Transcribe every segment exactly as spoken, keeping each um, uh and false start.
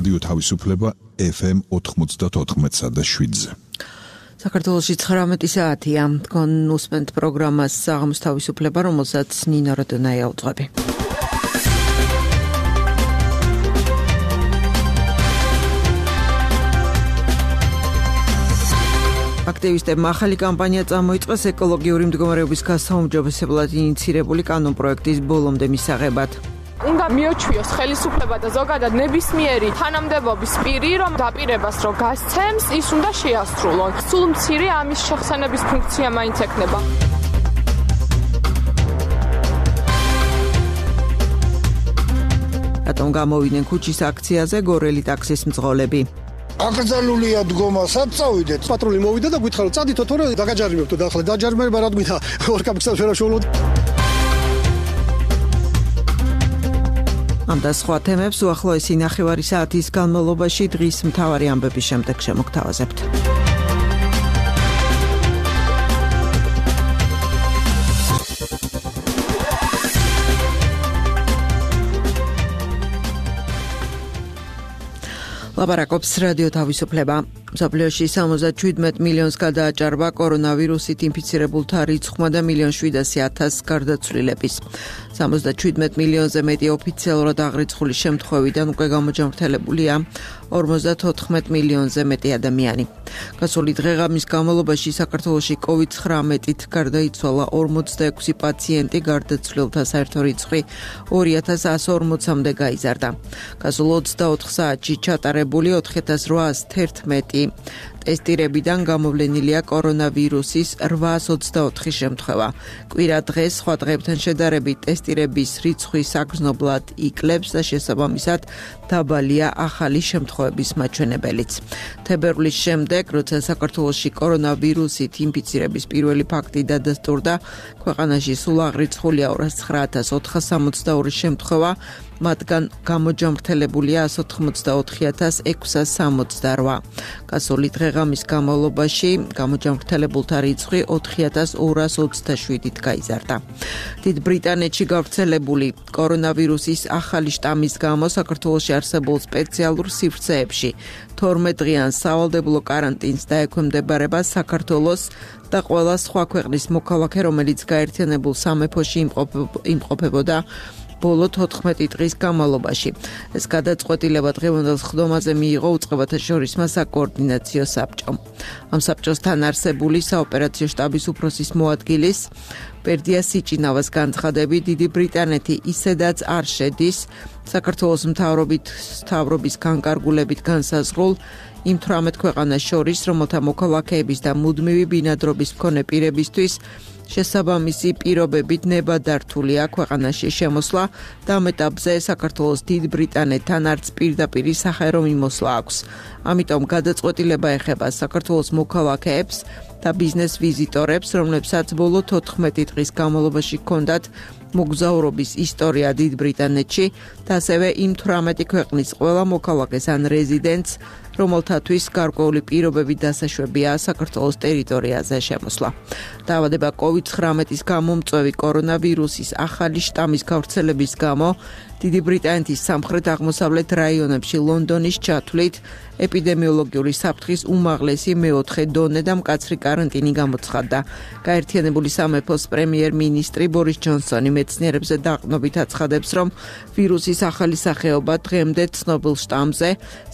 რადიო თავისუფლება ეფ ემ ოთხმოცდაოთხ და შვიდზე. საქართველოში ცხრამეტი საათია. თქვენ უსმენთ პროგრამას საღამოს თავისუფლება, რომელსაც ნინო როდონაია უძღვები. აქტივისტებმა ახალი კამპანია წამოიწყეს ეკოლოგიური მდგომარეობის გასაუმჯობესებლად ინიცირებული კანონპროექტის ბოლომდე მისაღებად. უნდა მიოჩვიოს ხელისუფლება და ზოგადად ნებისმიერი თანამდებობის პირი, რომ დაპირებას რო გასცემს, ის უნდა შეასრულონ. სულ მცირე ამის შეხსენების ფუნქცია მაინც ექნება. რატომ გამოვიდნენ ქუჩის აქციაზე გორელი ტაქსის მძღოლები? აკრძალულია დგომასაც წავიდეთ. პატრული მოვიდა და გითხრა რომ წადითო თორე დაგაჯარიმებთ და ახლა დაჯარიმება რა გვითა ორ კაპიტალს ვერაშოულოთ. ამ და სხვა თემებს უახლოესი ნახევარი საათის განმავლობაში დღის მთავარი ამბების შემდეგ შემოგთავაზებთ. ლაპარაკობს რადიო თავისუფლება. მსოფლიოში სამოცდაშვიდ მილიონს გადააჭარბა კორონავირუსით ინფიცირებულთა რიცხვმა და მილიონ შვიდასი ათასს გარდაცვლილების. სამოცდაშვიდ მილიონზე მეტი ოფიციალურად აღრიცხული შემთხვევიდან უკვე გამოჯამრთელებულია ორმოცდათოთხმეტ მილიონზე მეტი ადამიანი. გასული დღეღამის განმავლობაში საქართველოში კოვიდ ცხრამეტით გარდაიცვალა ორმოცდაექვსი პაციენტი, გარდაცვლილთა საერთო რიცხვი ორი ათას εκατს ორმოცამდე გაიზარდა. გასულ ოცდაოთხ საათში ჩატარებული ოთხი ათას რვაას თერთმეტი ტესტირებიდან გამოვლენილია კორონავირუსის რვაას ოცდაოთხი შემთხვევა. კვირა დღეს სხვა დღეებთან შედარებით ტესტირების რიცხვი საგრძნობლად იკლებს და შესაბამისად დაბალია ახალი შემთხვევების მაჩვენებელიც. თებერვლის შემდეგ, როცა საქართველოში კორონავირუსით ინფიცირების პირველი ფაქტი დადასტურდა, ქვეყანაში სულ აღრიცხულია ორას ცხრა ათას ოთხას სამოცდაორი შემთხვევა, მათგან გამოჯამრთელებულია ასი ოცდაოთხი ათას ექვსას სამოცდარვა. გასული დღეღამის განმავლობაში გამოჯამრთელებულთა რიცხვი ოთხი ათას ორას ოცდაშვიდით გაიზარდა. დიდ ბრიტანეთში გავრცელებული კორონავირუსის ახალი შტამის გამო საქართველოში არსებულ სპეციალურ სივრცეებში თორმეტ დღიან სავალდებულო კარანტინს დაექვემდებარება საქართველოს და ყველა სხვა ქვეყნის მოქალაქე, რომელიც გაერთიანებულ სამეფოში იმყოფებოდა ბოლო თოთხმეტი დღის განმავლობაში. ეს გადაწყვეტილება დღევანდელ სხდომაზე მიიღო უწყებათა შორისმა საკოორდინაციო საბჭომ. ამ საბჭოსთან არსებული საოპერაციო შტაბის უფროსის მოადგილის პერდია სიჭინავას განცხადებით, დიდი ბრიტანეთი ისედაც არ შედის საქართველოს მთავრობის განკარგულებით განსაზღვრულ იმ თვრამეტ ქვეყანას შორის, რომელთა მოქალაქეების და მუდმივი ბინადრობის მქონე პირებისთვის შესაბამისი პირობებით ნებადართულია ქვეყანაში შემოსვლა და ამ ეტაპზე საქართველოს დიდ ბრიტანეთთან არც პირდაპირი სახელო მიმოსვლა აქვს. ამიტომ გადაწყვეტილება ეხება საქართველოს მოქალაქეებს და ბიზნეს ვიზიტორებს, რომლებსაც ბოლო თოთხმეტი დღის განმავლობაში ჰქონდათ მოგზაურობის ისტორია დიდ ბრიტანეთში და ასევე იმ თვრამეტი ქვეყნის ყველა მოქალაქეს ან რეზიდენტს, რომელთათვის გარკვეული პირობები დასაშვებია საქართველოს ტერიტორიაზე შემოსვლა. დაავადება კოვიდ ცხრამეტის გამომწვევი კორონავირუსის ახალი შტამის გავრცელების გამო დიდი ბრიტანეთის სამხრეთ-აღმოსავლეთ რაიონებში ლონდონის ჩათვლით ეპიდემიოლოგიური საფრთხის უმაღლესი მეოთხე დონე და მკაცრი კარანტინი გამოცხადდა. გაერთიანებული სამეფოს პრემიერ-მინისტრი ბორის ჯონსონი მეცნიერებზე დაყრდნობით აცხადებს, რომ ვირუსის ახალი სახეობა დღემდე ცნობილ შტამზე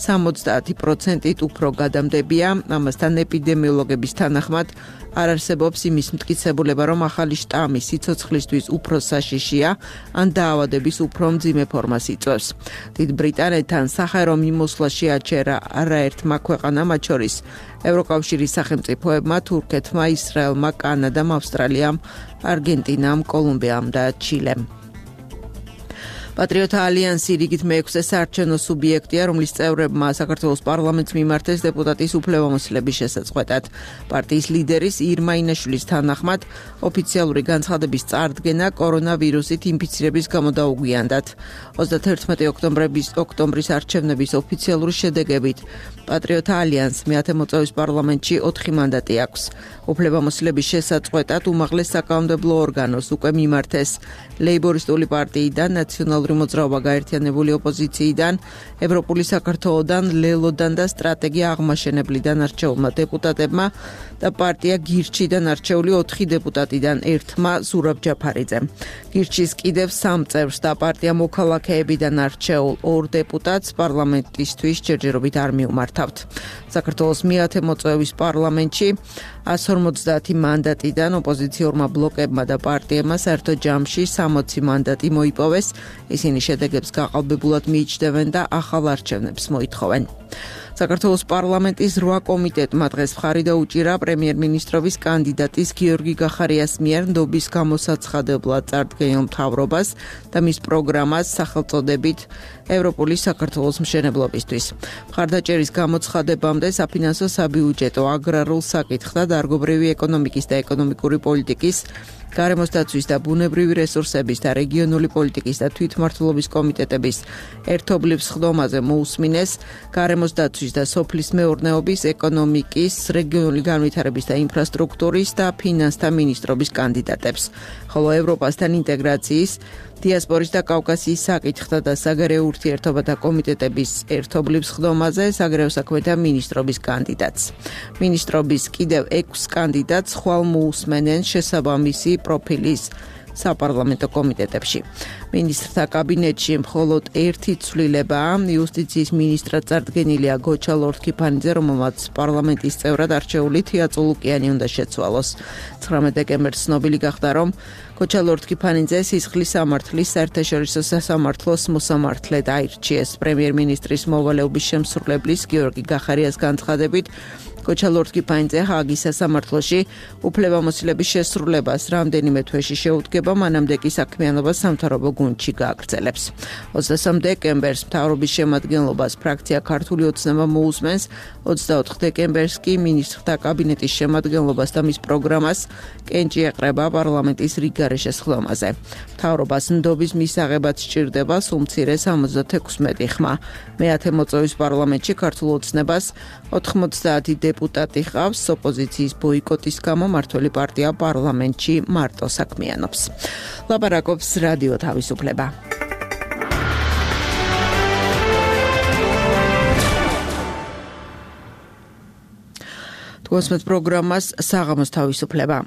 სამოცდაათი პროცენტით უფრო გადამდებია. ამასთან ეპიდემიოლოგების თანახმად არ არსებობს იმის მტკიცებულება, რომ ახალი შტამი სიცოცხლისთვის უფრო საშიშია ან დაავადების უფრო მძიმე ფორმას იწვევს. დიდ ბრიტანეთთან სახელო მიმოსვლა შეაჩერა არაერთმა ქვეყანამ, მათ შორის ევროკავშირის სახელმწიფოებმა, თურქეთმა, ისრაელმა, კანადამ, ავსტრალიამ, არგენტინამ, კოლუმბიამ და ჩილემ. პატრიოტთა ალიანსი რიგით მეექვსე საარჩევნო სუბიექტია, რომლის წევრებმა საქართველოს პარლამენტს მიმართეს დეპუტატის უფლებამოსილების შესაწყვეტად. პარტიის ლიდერის ირმა ინაშვილის თანახმად, ოფიციალური განცხადების წარდგენა კორონავირუსით ინფიცირების გამო დაუგვიანდათ. ოცდათერთმეტი ოქტომბრის არჩევნების ოფიციალური შედეგებით პატრიოტთა ალიანსს მეათე მოწვევის პარლამენტში ოთხი მანდატი აქვს. უფლებამოსილების შესაწყვეტად უმაღლეს საკანონმდებლო ორგანოს უკვე მიმართეს ლეიბორისტული პარტიიდან ნაციონალური ნაციონალური მოძრაობა გაერთიანებული ოპოზიციიდან, ევროპული საქართველოდან, ლელოდან და სტრატეგია აღმაშენებლიდან არჩეულმა დეპუტატებმა და პარტია გირჩიდან არჩეული ოთხი დეპუტატიდან ერთმა ზურაბ ჯაფარიძემ. გირჩის კიდევ სამ წევრს და პარტია მოქალაქეებიდან არჩეულ ორ დეპუტატს პარლამენტისთვის ჯერჯერობით არ მიუმართავთ. საქართველოს მეათე მოწვევის პარლამენტში ას ორმოცდაათი მანდატიდან ოპოზიციურმა ბლოკებმა და პარტიებმა საერთო ჯამში სამოცი მანდატი მოიპოვეს. ისინი შედეგებს გაყალბებულად მიიჩნევენ და ახალ არჩევნებს მოითხოვენ. საქართველოს პარლამენტის რვა კომიტეტმა დღეს მხარი დაუჭირა პრემიერ-მინისტრობის კანდიდატის გიორგი გახარიას მიერ ნდობის გამოსაცხადებლად წარდგენილ მთავრობას და მის პროგრამას სახელწოდებით ევროპული საქართველოს მშენებლობისთვის. მხარდაჭერის გამოცხადებამდე საფინანსო საბიუჯეტო, აგრარულ საკითხთა, დარგობრივი ეკონომიკის და ეკონომიკური პოლიტიკის, გარემოს დაცვის და ბუნებრივი რესურსების და რეგიონული პოლიტიკის და თვითმმართველობის კომიტეტების ერთობლივ სხდომაზე მოусმინეს გარემოს დაცვის და სოფლის მეურნეობის, ეკონომიკის, რეგიონული განვითარების და ინფრასტრუქტურის და ფინანსთა მინისტრობის კანდიდატებს, ხოლო ევროპასთან ინტეგრაციის, დიასპორის და კავკასიის საკითხთა და საგარეო ურთიერთობათა კომიტეტების ერთობლივ სხდომაზე საგარეო საქმეთა მინისტრობის კანდიდატს. მინისტრობის კიდევ ექვს კანდიდატს ხვალ მოусმენენ შესაბამისი პროფილის საპარლამენტო კომიტეტებში. მინისტრთა კაბინეტში მხოლოდ ერთი ცვლილებაა. იუსტიციის მინისტრად წარდგენილია გოჩა ლორთქიფანიძე, რომელმაც პარლამენტის წევრად არჩეული თია წულუკიანი უნდა შეცვალოს. ცხრამეტ დეკემბერს ცნობილი გახდა, რომ გოჩა ლორთქიფანიძე სისხლის სამართლის საერთაშორისო სასამართლოს მოსამართლედ აირჩიეს. პრემიერ-მინისტრის მოვალეობის შემსრულებლის გიორგი გახარიას განცხადებით, გოჩა ლორთქიფანიძე ჰააგის სასამართლოში უფლებამოსილების შესრულებას რამდენიმე თვეში შეუდგება, მანამდე კი საქმიანობას სამთავრობო გუნდში გააგრძელებს. ოცდასამ დეკემბერს მთავრობის შემადგენლობას ფრაქცია ქართული ოცნება მოусმენს, ოცდაოთხ დეკემბერს კი მინისტრთა კაბინეტის შემადგენლობას და მის პროგრამას კენჭი ეყრება პარლამენტის რიგგარეშე სხდომაზე. მთავრობას ნდობის მისაღებად სჭირდება სულ მცირე სამოცდათექვსმეტი ხმა. მეათე მოწვევის პარლამენტში ქართულ ოცნებას ოთხმოცდაათი დეპუტატი ყავს. ოპოზიციის ბოიკოტის გამო მართველი პარტია პარლამენტში მარტო საქმიანობს. ლაპარაკობს რადიო თავისუფლება. თგვოსმეთ პროგრამას საღამოს თავისუფლება.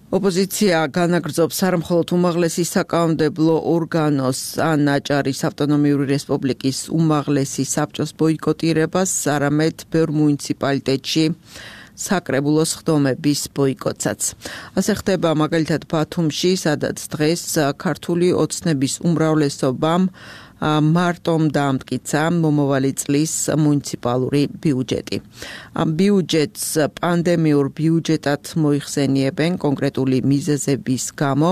ოპოზიცია განაგრძობს არ მხოლოდ უმაღლესი საკანონმდებლო ორგანოს ან აჭარის ავტონომიური რესპუბლიკის უმაღლესი საბჭოს ბოიკოტირებას, არამედ ბევრ მუნიციპალიტეტში საკრებულო სხდომების ბოიკოტსაც. ასე ხდება მაგალითად ბათუმში, სადაც დღეს ქართული ოცნების უმრავლესობამ მარტომ დაამტკიცა მომავალი წლის მუნიციპალური ბიუჯეტი. ამ ბიუჯეტს პანდემიურ ბიუჯეტად მოიხსენიებენ კონკრეტული მიზეზების გამო.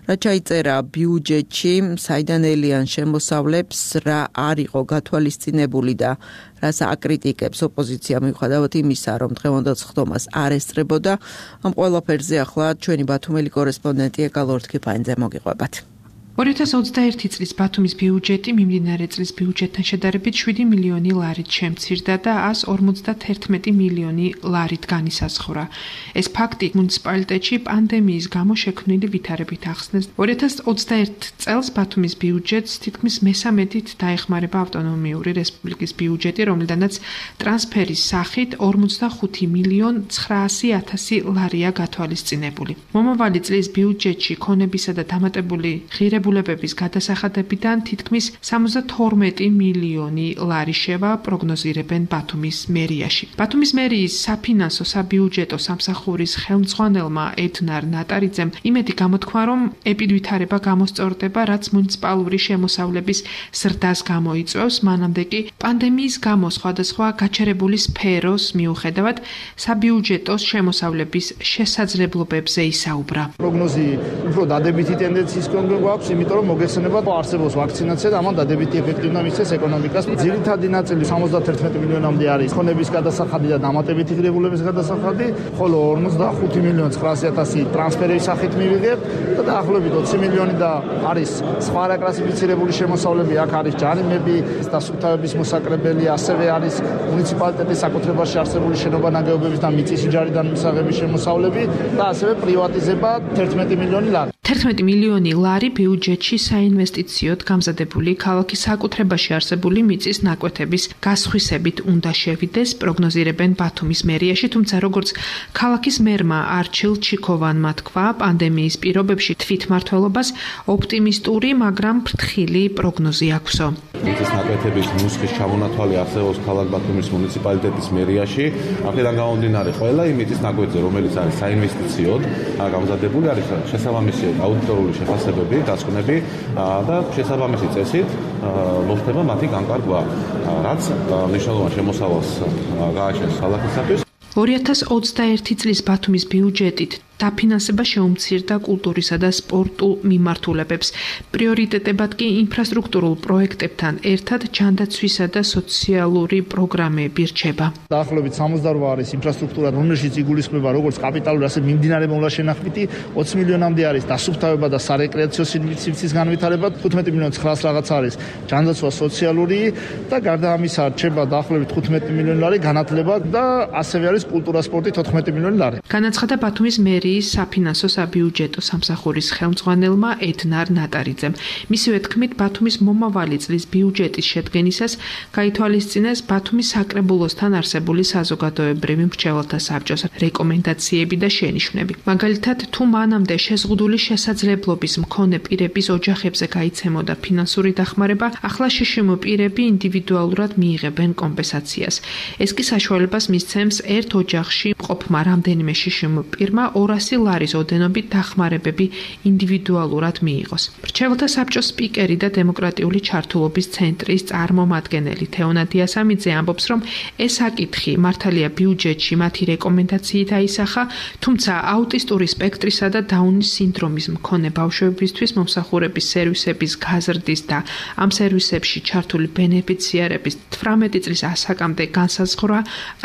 რა ჩაიწერა ბიუჯეტში, საიდან ელიან შემოსავლებს, რა არ იყო გათვალისწინებული და რას აკრიტიკებს ოპოზიცია მიუხედავად იმისა, რომ დღევანდელ სხდომას არ ესწრებოდა. ამ ყველაფერზე ახლა ჩვენი ბათუმელი კორესპონდენტი ეკა ლორთქიფანიძე მოგიყვებათ. ორი ათას ოცდაერთი წლის ბათუმის ბიუჯეტი მიმდინარე წლის ბიუჯეტთან შედარებით შვიდი მილიონი ლარით შემცირდა და ას ორმოცდათერთმეტი მილიონი ლარით განისაზღვრა. ეს ფაქტი მუნიციპალიტეტში პანდემიის გამო შექმნილი ვითარებით ახსნეს. ორი ათას ოცდაერთ წელს ბათუმის ბიუჯეტს თითქმის მესამედით დაეხმარება ავტონომიური რესპუბლიკის ბიუჯეტი, რომლიდანაც ტრანსფერის სახით ორმოცდახუთი მილიონ ცხრაასი ათასი ლარია გათვალისწინებული. მომავალი წლის ბიუჯეტში ქონებისა და დამატებული ღირებულების ღირებულებების გადასახადებიდან თითქმის სამოცდათორმეტი მილიონი ლარი შევა პროგნოზირებენ ბათუმის მერიაში. ბათუმის მერიის საფინანსო საბიუჯეტო სამსახურის ხელმძღვანელმა ედნარ ნატარიძემ იმედი გამოთქვა, რომ ეპიდვითარება გამოსწორდება, რაც მუნიციპალური შემოსავლების ზრდას გამოიწვევს, მანამდე კი პანდემიის გამო სხვადასხვა გაჩერებული სფეროს მიუხედავად საბიუჯეტო შემოსავლების შესაძლებლობებზე ისაუბრა. პროგნოზი უფრო დადებითი ტენდენციის გვაქვს, იმიტომ რომ მოგეხსენება არსებობს ვაქცინაცია და ამან დადებითი ეფექტი უნდა მისცეს ეკონომიკას. ძირითადი ნაწილი სამოცდათერთმეტი მილიონამდე არის ქონების გადასახადი და დამატებითი ღირებულების გადასახადი, ხოლო ორმოცდახუთი მილიონი ცხრაასი ათასი ტრანსფერების სახით მივიღებთ და დაახლოებით ოცი მილიონი და არის სხვა რაკლასიფიცირებული შემოსავლები, აქ არის ჯარიმები და სუფთავების მოსაკრებელი, ასევე არის მუნიციპალიტეტის საკუთრებაში არსებული შენობა-ნაგებობების და მიწის ჯარიდან მისაღების შემოსავლები და ასევე პრივატიზება თერთმეტი მილიონი ლარი. თერთმეტი მილიონი ლარი ბიუჯეტში საინვესტიციოდ გამზადებული ქალაქის საკუთრებაში არსებული მიწის ნაკვეთების გასხვისებით უნდა შევიდეს, პროგნოზირებენ ბათუმის მერიაში, თუმცა როგორც ქალაქის მერმა არჩილ ჩიქოვანმა თქვა, პანდემიის პირობებში თვითმმართველობას ოპტიმისტური, მაგრამ ფრთხილი პროგნოზი აქვსო. მიწის ნაკვეთების ნუსხის ჩამონათვალი არსებობს ქალაქ ბათუმის მუნიციპალიტეტის მერიაში. აქედან გამომდინარე, ყველა იმ მიწის ნაკვეთზე, რომელიც არის საინვესტიციოდ გამზადებული, არის შესაბამისი აუდიტორული შეფასებები, დასკვნები და შესაბამისი წესით მოხდება მათი განკარგვა, რაც მნიშვნელოვან შემოსავალს გააჩენს ქალაქისათვის. ორი ათას ოცდაერთი წლის ბათუმის ბიუჯეტით დაფინანსება შეუმცირდა კულტურისა და სპორტულ მიმართულებებს. პრიორიტეტებად კი ინფრასტრუქტურულ პროექტებთან ერთად ჯანდაცვისა და სოციალური პროგრამები რჩება. დაახლოებით სამოცდაორი არის ინფრასტრუქტურა, რომელშიც იგულისხმება როგორც კაპიტალური, ასე მიმდინარე მოლაშენახვითი ოცი მილიონამდე არის დასუფთავება და სარეკრეაციო სივრცის განვითარება, თხუთმეტი მილიონი ცხრაას რაღაც არის ჯანდაცვა სოციალური და გარდა ამისა რჩება დაახლოებით თხუთმეტი მილიონი ლარი განათლება და ასევე არის კულტურა, სპორტი თოთხმეტი მილიონი ლარი. განაცხადა ბათუმის მერი საფინანსო საბიუჯეტო სამსახურის ხელმძღვანელმა ედნარ ნატარიძემ. მისივე თქმით, ბათუმის მომავალი წლის ბიუჯეტის შედგენისას გაითვალისწინეს ბათუმის საკრებულოსთან არსებული საზოგადოებრივი მრჩეველთა საბჭოს რეკომენდაციები და შენიშვნები. მაგალითად, თუ მანამდე შეზღუდული შესაძლებლობის მქონე პირების ოჯახებზე გაიცემოდა ფინანსური დახმარება, ახლა შშმ პირები ინდივიდუალურად მიიღებენ კომპენსაციას. ეს კი საშუალებას მისცემს ერთ ოჯახში მყოფმა რამდენიმე შშმ პირმა ორასი ლარის ოდენობით დახმარებები ინდივიდუალურად მიიღოს. მრჩეველთა საბჭოს სპიკერი და დემოკრატიული ჩართულობის ცენტრის წარმომადგენელი თეონა დიასამიძე ამბობს, რომ ეს საკითხი მართალია ბიუჯეტში მათი რეკომენდაციით აისახა, თუმცა აუტისტური სპექტრისა და დაუნის სინდრომის მქონე ბავშვებისთვის მომსახურების სერვისების გაზრდის და ამ სერვისებში ჩართული ბენეფიციარების თვრამეტი წლის ასაკამდე განსაზღვრა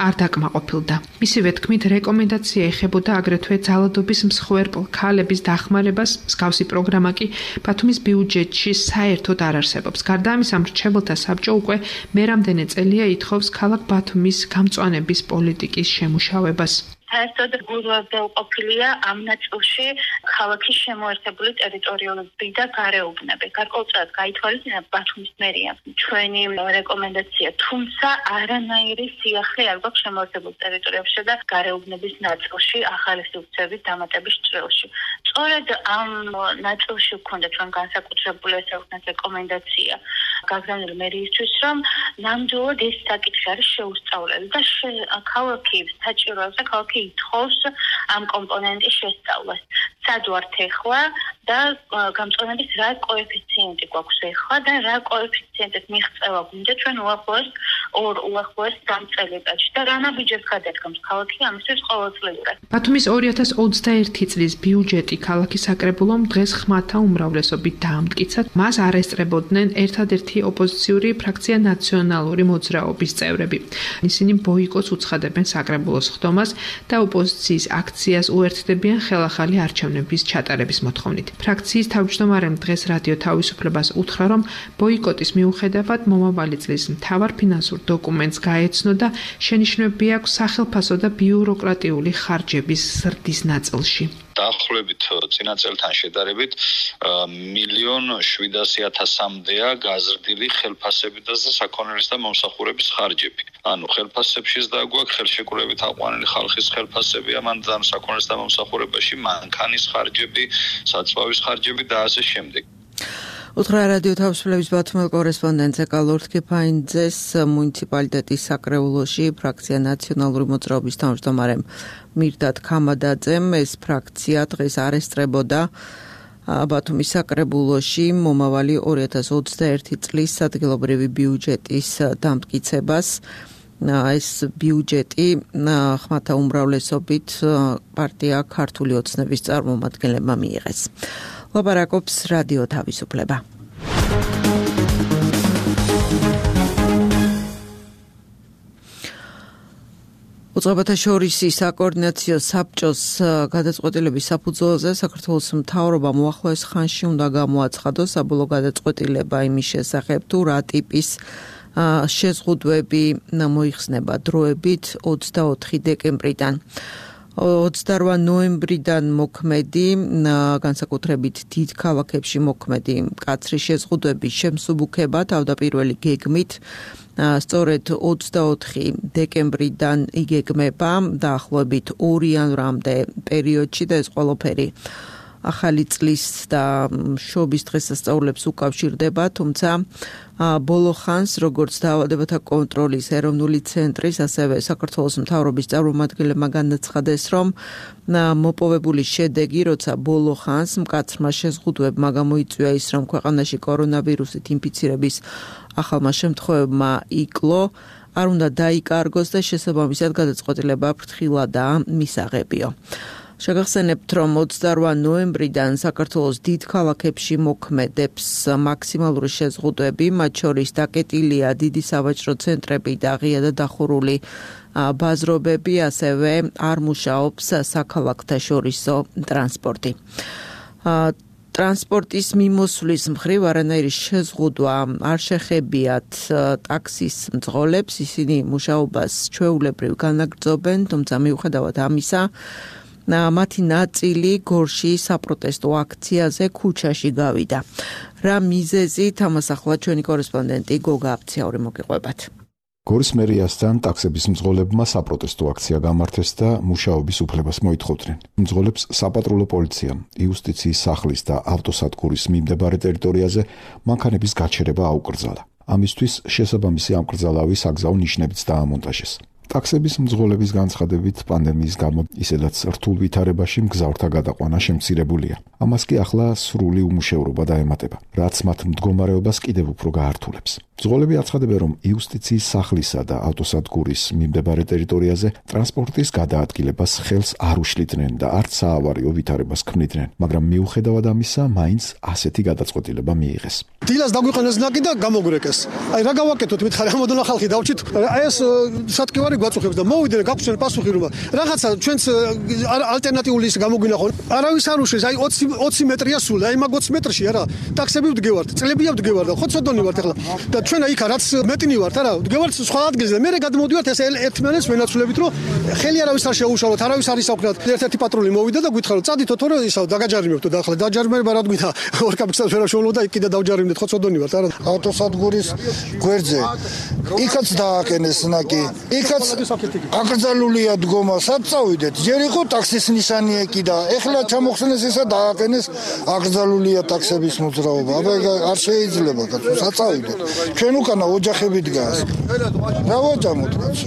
არ დაკმაყოფილდა. მისივე თქმით, რეკომენდაცია ეხებოდა აგრეთვე ძალადობის მსხვერპლ ქალების დახმარებას. მსგავსი პროგრამა კი ბათუმის ბიუჯეტში საერთოდ არ არსებობს. გარდა ამისა, მრჩეველთა საბჭო უკვე მერამდენე წელია ითხოვს ქალაქ ბათუმის გამწვანების პოლიტიკის შემუშავებას. საერთოდ გულვებელყოფილია ამ ნაწილში ქალაქის შემოერთებული ტერიტორიები და გარეუბნები. გარკვეულწილად გაითვალისწინა ბათუმის მერიამ ჩვენი რეკომენდაცია, თუმცა არანაირი სიახლე არ გვაქვს შემოერთებულ ტერიტორიებში და გარეუბნების ნაწილში ახალი სივრცეების დამატების ჭრილში. სწორედ ამ ნაწილში გვქონდა ჩვენ განსაკუთრებული ესე ვთქვათ რეკომენდაცია გაგზავნილი მერიისთვის, რომ ნამდვილად ეს საკითხი არის შეუსწავლელი და ქალაქი საჭიროებს და ქალაქი ითხოვს ამ კომპონენტის შესწავლას. სად ვართ ეხლა და გამწვანების რა კოეფიციენტი გვაქვს ეხლა და რა კოეფიციენტით მიღწევა გვინდა ჩვენ უახლოეს ორ უახლოეს სამ წელიწადში და რა ნაბიჯებს გადადგამს ქალაქი ამისთვის ყოველწლიურად. ბათუმის ორი ათას ოცდაერთი წლის ბიუჯეტი ქალაქის საკრებულომ დღეს ხმათა უმრავლესობით დაამტკიცა. მას არ ესწრებოდნენ ერთადერთი ოპოზიციური ფრაქცია ნაციონალური მოძრაობის წევრები. ისინი ბოიკოტს უცხადებენ საკრებულოს ხდომას და ოპოზიციის აქციას უერთდებიან ხელახალი არჩევნების ჩატარების მოთხოვნით. ფრაქციის თავმჯდომარემ დღეს რადიო თავისუფლებას უთხრა, რომ ბოიკოტის მიუხედავად მომავალი წლის მთავარ ფინანსურ დოკუმენტს გაეცნო და შენიშვნები აქვს სახელფასო და ბიუროკრატიული ხარჯების ზრდის ნაწილში. დაახლოებით წინა წელთან შედარებით მილიონ შვიდასი ათასამდეა გაზრდილი ხელფასების და საქონლის და მომსახურების ხარჯები. ანუ ხელფასებშიც დაგვაქვს ხელშეკრულებით აყვანილი ხალხის ხელფასები, ამან ძალიან საქონლის და მომსახურებაში მანქანის ხარჯები, საწვავის ხარჯები და ასე შემდეგ. უთხრა რადიო თავისუფლების ბათუმელ კორესპონდენტზე კალორთ კეფაინძეს მუნიციპალიტეტის საკრებულოში ფრაქცია ნაციონალური მოძრაობის თავმჯდომარემ მირდად ქამადაძემ ეს ფრაქცია დღეს არ ესწრებოდა ბათუმის საკრებულოში მომავალი ორი ათას ოცდაერთი წლის ადგილობრივი ბიუჯეტის დამტკიცებას. ეს ბიუჯეტი ხმათა უმრავლესობით პარტია ქართული ოცნების წარმომადგენლებმა მიიღეს. ლაპარაკობს რადიო თავისუფლება. უწყებათა შორის საკოორდინაციო საბჭოს გადაწყვეტილების საფუძველზე საქართველოს მთავრობამ უახლოეს ხანში უნდა გამოაცხადოს საბოლოო გადაწყვეტილება იმის შესახებ, თუ რა ტიპის შეზღუდვები მოიხსნება დროებით ოცდაოთხი დეკემბრიდან. ოცდაორ ნოემბრიდან მოქმედი განსაკუთრებით დიდ ქალაქებში მოქმედი მკაცრი შეზღუდვების შემსუბუქება თავდაპირველი გეგმით სწორედ ოცდაოთხი დეკემბრიდან იგეგმება დაახლოებით ორი იანვრამდე პერიოდში და ეს ყველაფერი ახალი წლის და შობის დღესასწაულებს უკავშირდება, თუმცა ბოლო ხანს, როგორც დაავადებათა კონტროლის ეროვნული ცენტრის, ასევე საქართველოს მთავრობის წარმომადგენლებმა განაცხადეს, რომ მოპოვებული შედეგი, როცა ბოლო ხანს მკაცრმა შეზღუდვებმა გამოიწვია ის, რომ ქვეყანაში კორონავირუსით ინფიცირების ახალმა შემთხვევებმა იკლო, არ უნდა დაიკარგოს და შესაბამისად გადაწყვეტილება ფრთხილადაა მისაღებიო. შეგახსენებთ, რომ ოცდაორ ნოემბრიდან საქართველოს დიდ ქალაქებში მოქმედებს მაქსიმალური შეზღუდვები, მათ შორის დაკეტილია დიდი სავაჭრო ცენტრები და ღია და დახურული ბაზრობები, ასევე არ მუშაობს საქალაქთა შორისო ტრანსპორტი. ტრანსპორტის მიმოსვლის მხრივ არანაირი შეზღუდვა არ შეხებიათ ტაქსის მძღოლებს, ისინი მუშაობას ჩვეულებრივ განაგრძობენ, თუმცა მიუხედავად ამისა, მათი ნაწილი გორში საპროტესტო აქციაზე ქუჩაში გავიდა. რა მიზეზით ამას ახლა ჩვენი კორესპონდენტი გოგა აფციაური მოგიყვებათ. გორის მერიასთან ტაქსების მძღოლებმა საპროტესტო აქცია გამართეს და მუშაობის უფლებას მოითხოვდნენ. მძღოლებს საპატრულო პოლიციამ იუსტიციის სახლის და ავტოსადგურის მიმდებარე ტერიტორიაზე მანქანების გაჩერება აუკრძალა. ამისთვის შესაბამისი ამკრძალავი საგზაო ნიშნებიც დაამონტაჟეს. ტაქსების მძღოლების განცხადებით პანდემიის გამო ისედაც რთულ ვითარებაში მგზავრთა გადაყვანა შემცირებულია. ამას კი ახლა სრული უმუშევრობა დაემატება, რაც მათ მდგომარეობას კიდევ უფრო გაართულებს. მძღოლები აცხადებენ, რომ იუსტიციის სახლისა და ავტოსადგურის მიმდებარე ტერიტორიაზე ტრანსპორტის გადაადგილებას ხელს არ უშლიდნენ და არც საავარიო ვითარებას ქმნიდნენ, მაგრამ მიუხედავად ამისა, მაინც ასეთი გადაწყვეტილება მიიღეს. დილას დაგვიყენეს ნაკი და გამოგვრეკეს. აი რა გავაკეთოთ, მითხარი ამოდონა ხალხი დავჭით. აი ეს სათქივარი გვაწუხებს და მოვიდეთ გაგვცენ პასუხი რომ რაღაცა ჩვენს ალტერნატიული ის გამოგვინახონ. არავის არ უშლის, აი ოცი ოცი მეტრია სულ, აი მაგ ოცი მეტრში არა. ტაქსები ვდგევართ, წლებია ვდგევართ და ხო ცოდონი ვართ ახლა. და ჩვენ იქა რაც მეტინი ვართ არა, ვდგევართ სხვა ადგილზე. მე გადმოვდივართ ეს ერთმანეთს ვენაცვლებით რომ ხელი არავის არ შეუშალოთ, არავის არ ისაუბროთ. ერთ-ერთი პატრული მოვიდა და გითხარ რომ წადითო თორე ისავ დაგაჯარიმებთო და ახლა დაჯარიმება რა გვითა ორ კაპიტანს ვერ შეულო და იქ კიდე დავჯარიმდეთ, ხო ცოდონი ვართ არა. ავტოსადგურის გვერდზე იქაც დააკენეს ნაკი, იქაც აკრძალულია დგომა, სად წავიდეთ? ჯერ იყო ტაქსის ნიშანი ეკი და ეხლა ჩამოხსნეს ისა დააკენეს აკრძალულია ტაქსების მოძრაობა. აბა არ შეიძლება კაცო, სად წავიდეთ? ჩვენ უკანა ოჯახები დგას. რა ვაჭამოთ კაცო?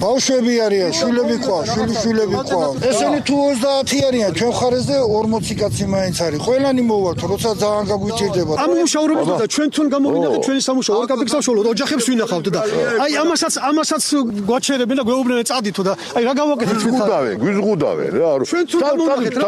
ბავშვები არიან, შვილები ყვა, შვილიშვილები ყვა. ესენი თუ ოცდაათი არიან, ჩვენ ხარესზე ორმოცი კაცი მაინც არის. ყველანი მოვართ, როცა ძალიან გაგვიჭირდება. ამ მუშაობთ და ჩვენ თვითონ გამოვიდეთ ჩვენი სამუშაო ორ კაპიტანს შოულობ, ოჯახებს ვინახავთ და აი ამასაც ამასაც გვაჩერებენ და გვეუბნენ წადითო და აი რა გავაკეთეთ ჩვენ გვიზღუდავენ, გვიზღუდავენ რა. ჩვენ თუ გამოვიდეთ რა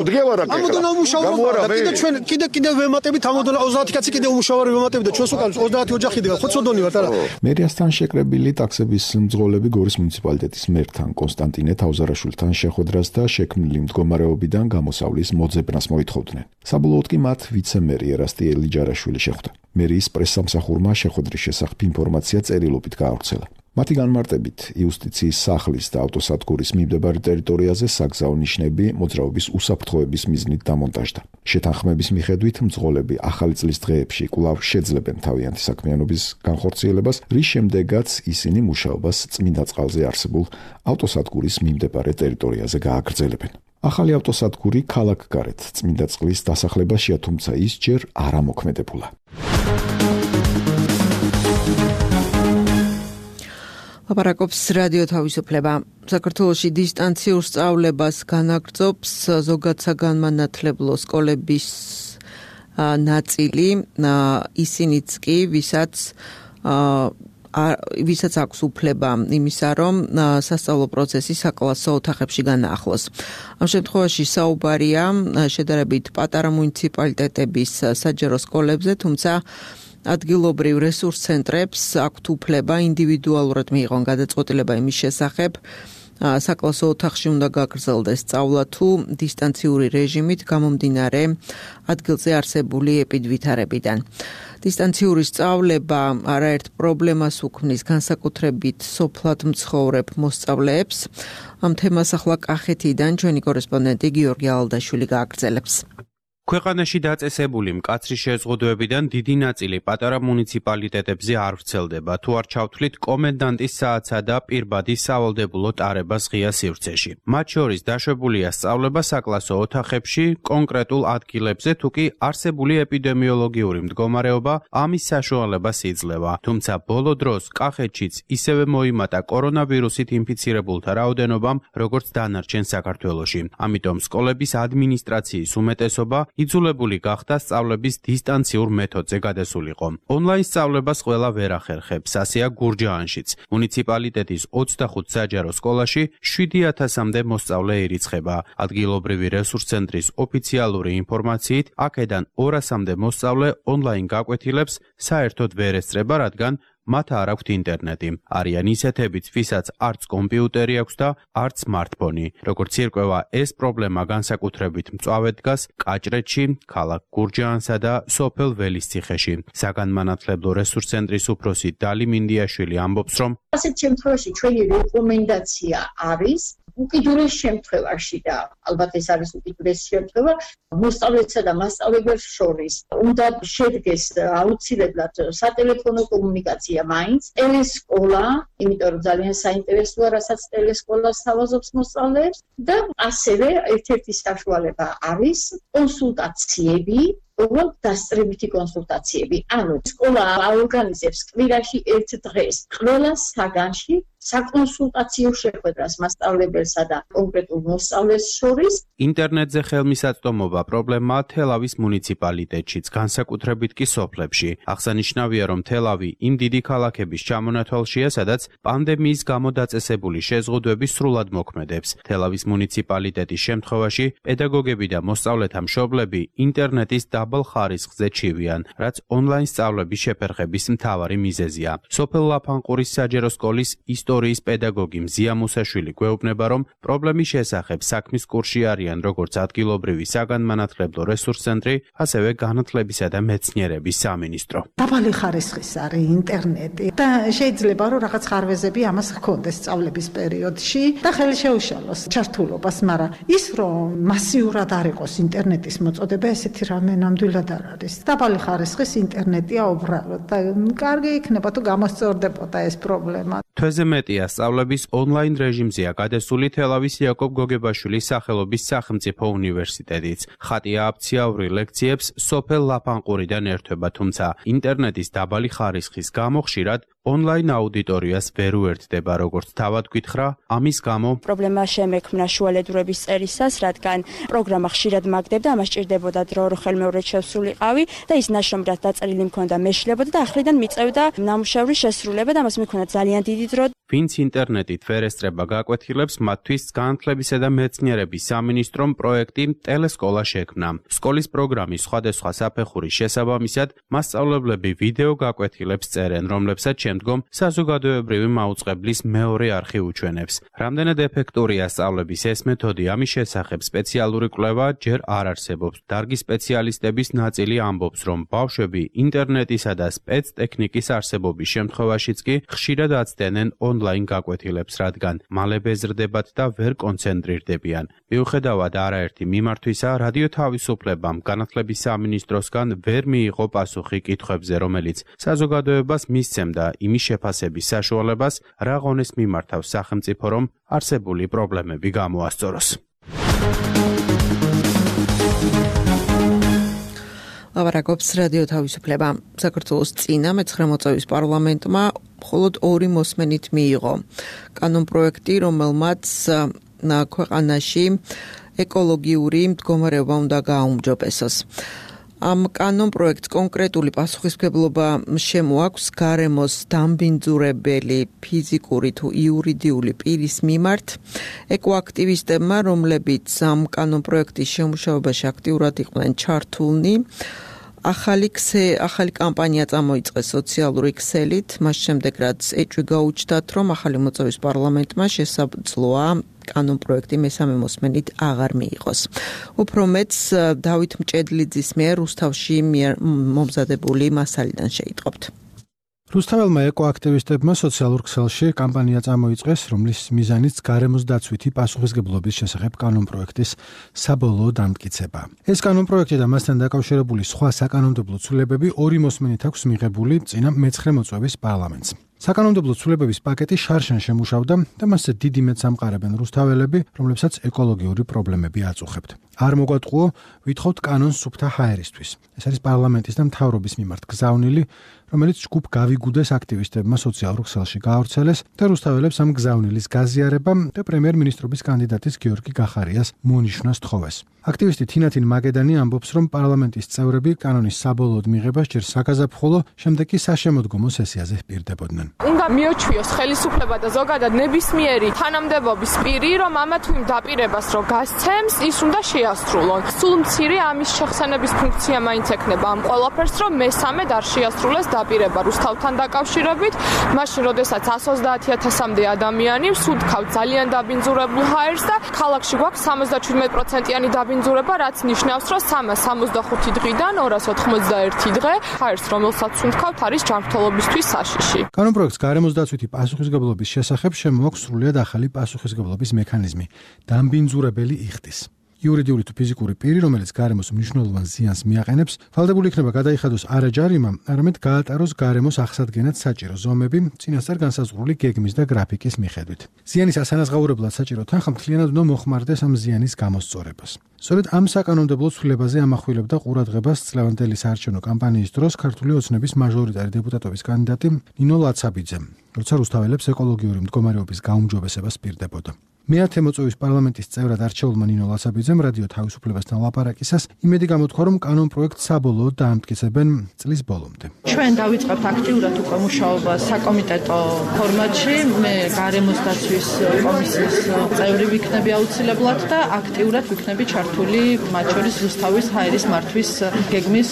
დგევარ აქ. ამოდონა მუშაობთ და კიდე ჩვენ კიდე კიდე ვემატებით ამოდონა ოცდაათი კაცი კიდე უმუშავარი ვემატებით და ჩვენს უკან ოცდაათი ოჯახი დგა, ხო ცოდონი ვართ არა. მერიასთან შეკრებილი ტაქსების მძღოლები გორის მუნიციპალიტეტის მერთან კონსტანტინე თავზარაშვილთან შეხვედრას და შექმნილი მდგომარეობიდან გამოსავლის მოძებნას მოითხოვდნენ. საბოლოოდ კი მათ ვიცე-მერი ერასტი ელიჯარაშვილი შეხვდა. მერიის პრესსამსახურმა შეხვედრის შესახებ ინფორმაცია წერილობით გაავრცელა. მათი განმარტებით, იუსტიციის სახლის და ავტოსადგურის მიმდებარე ტერიტორიაზე საგზაო ნიშნები მოძრაობის უსაფრთხოების მიზნით დამონტაჟდა. შეთანხმების მიხედვით მძღოლები ახალი წლის დღეებში კვლავ შეძლებენ თავიანთი საქმიანობის განხორციელებას, რის შემდეგაც ისინი მუშაობას წმინდა წყალზე არსებულ ავტოსადგურის მიმდებარე ტერიტორიაზე გააგრძელებენ. ახალი ავტოსადგური ქალაქგარეთ წმინდა წყლის დასახლებაშია, თუმცა ის ჯერ არ ამოქმედებულა. ლაპარაკობს რადიო თავისუფლება. საქართველოში დისტანციურ სწავლებას განაგრძობს ზოგად საგანმანათლებლო სკოლების ნაწილი, ისინიც კი, ვისაც ვისაც აქვს უფლება იმისა, რომ სასწავლო პროცესი საკლასო ოთახებში განაახლოს. ამ შემთხვევაში საუბარია შედარებით პატარა მუნიციპალიტეტების საჯარო სკოლებზე, თუმცა ადგილობრივ რესურს ცენტრებს აქვთ უფლება ინდივიდუალურად მიიღონ გადაწყვეტილება იმის შესახებ, საკლასო ოთახში უნდა გაგრძელდეს სწავლა თუ დისტანციური რეჟიმით გამომდინარე ადგილზე არსებული ეპიდვითარებიდან. დისტანციური სწავლება არაერთ პრობლემას უქმნის განსაკუთრებით სოფლად მცხოვრებ მოსწავლეებს. ამ თემას ახლა კახეთიდან ჩვენი კორესპონდენტი გიორგი ალდაშვილი გააგრძელებს. ქვეყანაში დაწესებული მკაცრი შეზღუდვებიდან დიდი ნაწილი პატარა მუნიციპალიტეტებზე არ ვრცელდება, თუ არ ჩავთვლით კომენდანტის საათსა და პირბადის სავალდებულო ტარებას ღია სივრცეში. მათ შორის დაშვებულია სწავლება საკლასო ოთახებში, კონკრეტულ ადგილებზე, თუ კი არსებული ეპიდემიოლოგიური მდგომარეობა ამის საშუალებას იძლევა. თუმცა ბოლო დროს კახეთშიც ისევე მოიმატა კორონავირუსით ინფიცირებულთა რაოდენობამ, როგორც დანარჩენ საქართველოში. ამიტომ სკოლების ადმინისტრაციის უმეტესობა იძულებული გახდა სწავლების დისტანციურ მეთოდზე გადასულიყო. ონლაინ სწავლებას ყველა ვერ ახერხებს, ასეა გურჯაანშიც. მუნიციპალიტეტის ოცდახუთ საჯარო სკოლაში შვიდი ათასამდე მოსწავლე ირიცხება. ადგილობრივი რესურს ცენტრის ოფიციალური ინფორმაციით, აქედან ორასამდე მოსწავლე ონლაინ გაკვეთილებს საერთოდ ვერ ესწრება, რადგან მათ არ აქვთ ინტერნეტი. არიან ისეთებიც, ვისაც არც კომპიუტერი აქვს და არც სმარტფონი. როგორც ირკვევა, ეს პრობლემა განსაკუთრებით მწვავედ დგას კაჭრეთში, ქალაქ გურჯაანსა და სოფელ ველისციხეში. საგანმანათლებლო რესურს ცენტრის უფროსი დალი მინდიაშვილი ამბობს, რომ ასეთ შემთხვევაში ჩვენი რეკომენდაცია არის უკიდურეს შემთხვევაში და ალბათ ეს არის უკიდურეს შემთხვევა მოსწავლეთა და მასწავლებელს შორის უნდა შედგეს აუცილებლად სატელეფონო კომუნიკაცია მაინც ტელესკოლა, იმიტომ რომ ძალიან საინტერესოა რასაც ტელესკოლა სთავაზობს მოსწავლეებს და ასევე ერთ-ერთი საშუალება არის კონსულტაციები ოღონდ დასწრებითი კონსულტაციები. ანუ სკოლა აორგანიზებს კვირაში ერთ დღეს ყველა საგანში საკონსულტაციო შეხვედრას მასწავლებელსა და კონკრეტულ მოსწავლეს შორის. ინტერნეტზე ხელმისაწვდომობა პრობლემაა თელავის მუნიციპალიტეტშიც, განსაკუთრებით კი სოფლებში. აღსანიშნავია, რომ თელავი იმ დიდი ქალაქების ჩამონათვალშია, სადაც პანდემიის გამო დაწესებული შეზღუდვები სრულად მოქმედებს. თელავის მუნიციპალიტეტის შემთხვევაში პედაგოგები და მოსწავლეთა მშობლები ინტერნეტის დაბალ ხარისხზე ჩივიან, რაც ონლაინ სწავლების შეფერხების მთავარი მიზეზია. სოფელ ლაფანყურის საჯარო სკოლის ისტორიის პედაგოგი მზია მუსაშვილი გვეუბნება, რომ პრობლემის შესახებ საქმის კურსში არიან როგორც ადგილობრივი საგანმანათლებლო რესურს ცენტრი, ასევე განათლებისა და მეცნიერების სამინისტრო. დაბალი ხარისხის არის ინტერნეტი და შეიძლება რომ რაღაც ხარვეზები ამას ჰქონდეს სწავლების პერიოდში და ხელი შეუშალოს ჩართულობას, მაგრამ ის რომ მასიურად არ იყოს ინტერნეტის მოწოდება, ესეთი რამე ნამდვილად არ არის. დაბალი ხარისხის ინტერნეტია უბრალოდ და კარგი იქნება თუ გამოსწორდებოდა ეს პრობლემა. თვეზე მეტია სწავლების ონლაინ რეჟიმზეა გადასული თელავის იაკობ გოგებაშვილის სახელობის სახელმწიფო უნივერსიტეტიც. ხატია აფციაური ლექციებს სოფელ ლაფანყურიდან ერთვება, თუმცა ინტერნეტის დაბალი ხარისხის გამო ხშირად ონლაინ აუდიტორიას ვერ უერთდება, როგორც თავად გითხრა, ამის გამო პრობლემა შემექმნა შუალედურების წერისას, რადგან პროგრამა ხშირად მაგდებდა, ამას ჭირდებოდა დრო რომ ხელმეორედ შესრულიყავი და ის ნაშრომად დაწერილი მქონდა მეშლებოდა და ახლიდან მიწევდა ნამუშევრის შესრულება და ამას მქონდა ძალიან დიდი დრო. ვინც ინტერნეტით ვერ ესწრება გაკვეთილებს, მათთვის განათლებისა და მეცნიერების სამინისტრომ პროექტი ტელესკოლა შექმნა. სკოლის პროგრამის სხვადასხვა საფეხურის შესაბამისად, მასწავლებლები ვიდეო გაკვეთილებს წერენ, რომლებსაც შემდგომ საზოგადოებრივი მაუწყებლის მეორე არხი უჩვენებს. რამდენად ეფექტურია სწავლების ეს მეთოდი, ამის შესახებ სპეციალური კვლევა ჯერ არ არსებობს. დარგის სპეციალისტების ნაწილი ამბობს, რომ ბავშვები ინტერნეტისა და სპეცტექნიკის არსებობის შემთხვევაშიც კი ხშირად აცდენენ ონლაინ გაკვეთილებს, რადგან მალე ბეზრდებათ და ვერ კონცენტრირდებიან. მიუხედავად არაერთი მიმართვისა, რადიო თავისუფლებამ განათლების სამინისტროსგან ვერ მიიღო პასუხი კითხვებზე, რომელიც საზოგადოებას მისცემდა იმის შეფასების საშუალებას, რა ღონეს მიმართავს სახელმწიფო, რომ არსებული პრობლემები გამოასწოროს. ლაპარაკობს რადიო თავისუფლება. საქართველოს წინა მეცხრე მოწვევის პარლამენტმა მხოლოდ ორი მოსმენით მიიღო კანონპროექტი, რომელმაც ქვეყანაში ეკოლოგიური მდგომარეობა უნდა გააუმჯობესოს. ამ კანონპროექტს კონკრეტული პასუხისმგებლობა შემოაქვს გარემოს დამბინძურებელი ფიზიკური თუ იურიდიული პირის მიმართ. ეკოაქტივისტებმა, რომლებიც ამ კანონპროექტის შემუშავებაში აქტიურად იყვნენ ჩართულნი, ახალი ქსე, ახალი კამპანია წამოიწყეს სოციალური ქსელით, მას შემდეგ რაც ეჭვი გაუჩნდათ, რომ ახალი მოწვევის პარლამენტმა შესაძლოა კანონპროექტი მესამე მოსმენით აღარ მიიღოს. უფრო მეც დავით მჭედლიძის მიერ რუსთავში მომზადებული მასალიდან შეიტყობთ. რუსთაველმა ეკოაქტივისტებმა სოციალურ ქსელში კამპანია წამოიწყეს, რომლის მიზანიც გარემოს დაცვითი პასუხისმგებლობის შესახებ კანონპროექტის საბოლოო დამტკიცება. ეს კანონპროექტი და მასთან დაკავშირებული სხვა საკანონმდებლო ცვლილებები ორი მოსმენით აქვს მიღებული წინა მეცხრე მოწვევის პარლამენტს. საკანონმდებლო ცვლილებების პაკეტი შარშან შემუშავდა და მასზე დიდი მეტს ამყარებენ რუსთაველები, რომლებსაც ეკოლოგიური პრობლემები აწუხებთ. არ მოგვატყუო, ვითხოვთ კანონს სუფთა ჰაერისთვის. ეს არის პარლამენტის და მთავრობის მიმართ გზავნილი, რომელიც ჯგუფ გავიგუდეს აქტივისტებმა სოციალურ ქსელში გაავრცელეს და რუსთაველებს ამ გზავნილის გაზიარება და პრემიერ-მინისტრობის კანდიდატის გიორგი გახარიას მონიშნას თხოვეს. აქტივისტი თინათინ მაგედანი ამბობს, რომ პარლამენტის წევრები კანონის საბოლოოდ მიღებას ჯერ საგაზაფხულო, შემდეგ კი საშემოდგომო სესიაზე პირდებოდნენ. უნდა მიოჩვიოს ხელისუფლება და ზოგადად ნებისმიერი თანამდებობის პირი, რომ ამა თუ იმ დაპირებას რო გასცემს, ის უნდა შეასრულონ. სულ მცირე ამის შეხსენების ფუნქცია მაინც ექნება ამ ყველაფერს, რომ მესამედ არ შეასრულეს დაპირება რუსთავთან დაკავშირებით, მაშინ როდესაც εκατს ოცდაათი ათასამდე ადამიანი ვსუდქავთ ძალიან დაბინძურებულ ჰაერს და ქალაქში გვაქვს სამოცდაჩვიდმეტ პროცენტიანი დაბინძურება, რაც ნიშნავს, რომ სამას სამოცდახუთი დღიდან ორას ოთხმოცდაერთი დღე ჰაერს, რომელსაც ვსუდქავთ, არის ჯანმრთელობისთვის საშიში. კანონპროექტს გარემოს დაცვითი პასუხისმგებლობის შესახებ შემოაქვს სრულიად ახალი პასუხისმგებლობის მექანიზმი, დამბინძურებელი იხდის. იურიდიული თუ ფიზიკური პირი, რომელიც გარემოს მნიშვნელოვან ზიანს მიაყენებს, ვალდებული იქნება გადაიხადოს არა ჯარიმა, არამედ გაატაროს გარემოს აღსადგენად საჭირო ზომები, წინასწარ განსაზღვრული გეგმის და გრაფიკის მიხედვით. ზიანის ასანაზღაურებლად საჭირო თანხა მთლიანად უნდა მოხმარდეს ამ ზიანის გამოსწორებას. სწორედ ამ საკანონმდებლო ცვლილებაზე ამახვილებდა ყურადღებას წლევანდელი საარჩევნო კამპანიის დროს ქართული ოცნების მაჟორიტარი დეპუტატობის კანდიდატი ნინო ლაცაბიძე, როცა რუსთაველებს ეკოლოგიური მდგომარეობის გაუმჯობესებას პირდებოდა. მეათე მოწვევის პარლამენტის წევრად არჩეულმა ნინო ლაცაბიძემ რადიო თავისუფლებასთან ლაპარაკისას იმედი გამოთქვა, რომ კანონპროექტს საბოლოოდ დაამტკიცებენ წლის ბოლომდე. ჩვენ დავიწყებთ აქტიურად უკვე მუშაობას საკომიტეტო ფორმატში, მე გარემოს დაცვის კომისიის წევრი ვიქნები აუცილებლად და აქტიურად ვიქნები ჩართული მათ შორის რუსთავის ჰაერის მართვის გეგმის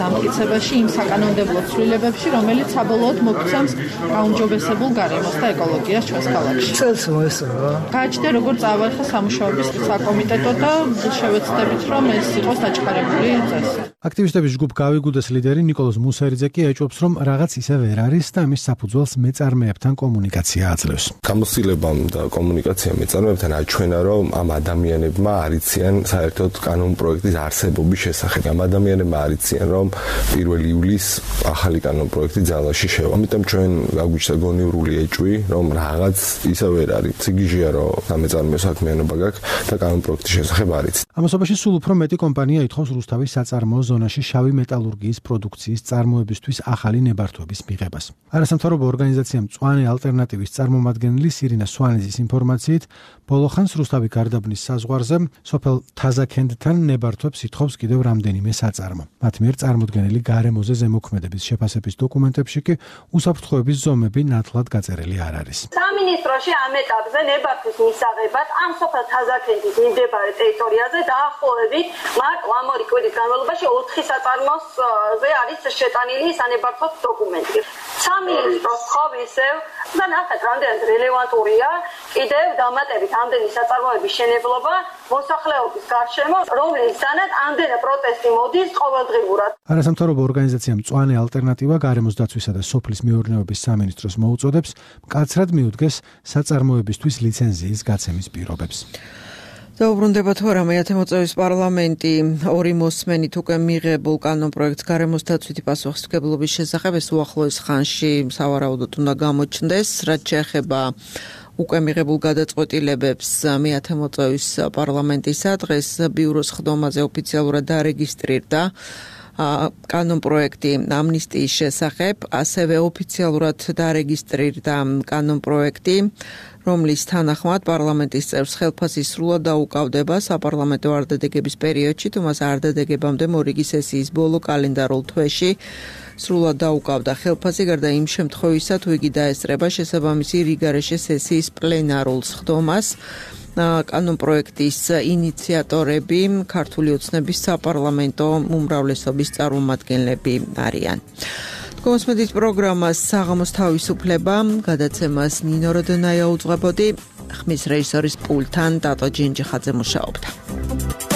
დამტკიცებაში იმ საკანონმდებლო ცვლილებებში, რომელიც საბოლოოდ მოგცემს გაუმჯობესებულ გარემოს და ეკოლოგიას ჩვენს ქალაქში. წელს მოესწრო გააჩნია როგორ წავარხა სამუშაოების საკომიტეტო და შევეცდებით, რომ ეს იყოს დაჩქარებული წესი. აქტივისტების ჯგუფ გავიგუდეს ლიდერი ნიკოლოზ მუსერიძე კი ეჭვობს, რომ რაღაც ისე ვერ არის და ამის საფუძველს მეწარმეებთან კომუნიკაცია აძლევს. გამოცდილებამ და კომუნიკაცია მეწარმეებთან აჩვენა, რომ ამ ადამიანებმა არიციან საერთოდ კანონპროექტის არსებობის შესახებ. ამ ადამიანებმა არიციან, რომ პირველი ივლისს ახალი კანონპროექტი ძალაში შევა. ამიტომ ჩვენ გაგვიჩნდა გონივრული ეჭვი, რომ რაღაც ისე ვერ არის. ციგიჟია რომ სამეწარმეო საქმიანობა გაქვს და კანონპროექტის შესახებ არის. ამასობაში სულ უფრო მეტი კომპანია ითხოვს რუსთავის საწარმოო ზონაში შავი მეტალურგიის პროდუქციის წარმოებისთვის ახალი ნებართვების მიღებას. არასამთავრობო ორგანიზაცია მწვანე ალტერნატივის წარმომადგენელი სირინა სვანიძის ინფორმაციით, ბოლო ხანს რუსთავი გარდაბნის საზღვარზე სოფელ თაზაქენდთან ნებართვებს ითხოვს კიდევ რამდენიმე საწარმო. მათ მიერ წარმოდგენილი გარემოზე ზემოქმედების შეფასების დოკუმენტებში კი უსაფრთხოების ზომები ნათლად გაწერილი არ არის. სამინისტროში ამ ეტაპზე ნებართვის მისაღებად ამ სოფელ თაზაქენდის მიმდებარე ტერიტორიაზე დაახლოებით მარტო ამ ორი კვირის განმავლობაში ოთხი საწარმოზე არის შეტანილი სანებართვო დოკუმენტი. სამინისტრო თხოვ ისევ და ნახეთ რამდენად რელევანტურია კიდევ დამატებით ამდენი საწარმოების შენებლობა მოსახლეობის გარშემო, რომლისთანაც ამდენი პროტესტი მოდის ყოველდღიურად. არასამთავრობო ორგანიზაცია მწვანე ალტერნატივა გარემოს დაცვისა და სოფლის მეურნეობის სამინისტროს მოუწოდებს მკაცრად მიუდგეს საწარმოებისთვის ლიცენზიის გაცემის პირობებს. დაუბრუნდება თუ არა მეათე მოწვევის პარლამენტი ორი მოსმენით უკვე მიღებულ კანონპროექტს გარემოს დაცვითი პასუხისმგებლობის შესახებ ეს უახლოეს ხანში სავარაუდოდ უნდა გამოჩნდეს, რაც შეეხება უკვე მიღებულ გადაწყვეტილებებს მეათე მოწვევის პარლამენტისა დღეს ბიუროს ხდომაზე ოფიციალურად დარეგისტრირდა კანონპროექტი ამნისტიის შესახებ, ასევე ოფიციალურად დარეგისტრირდა კანონპროექტი, რომლის თანახმად პარლამენტის წევრს ხელფასი სრულად დაუკავდება საპარლამენტო არდადეგების პერიოდში, თუ მას არდადეგებამდე მორიგი სესიის ბოლო კალენდარულ თვეში სრულად დაუკავდა ხელფასი, გარდა იმ შემთხვევისა, თუ იგი დაესწრება შესაბამისი რიგარეშე სესიის პლენარულ სხდომას. კანონპროექტის ინიციატორები ქართული ოცნების საპარლამენტო უმრავლესობის წარმომადგენლები არიან. Კონსმედით პროგრამას საღამოს თავისუფლება გადაცემას ნინო როდონაია უძღვებოდი, ხმის რეჟისორის პულტთან დატო ჯინჯიხაძე მუშაობდა.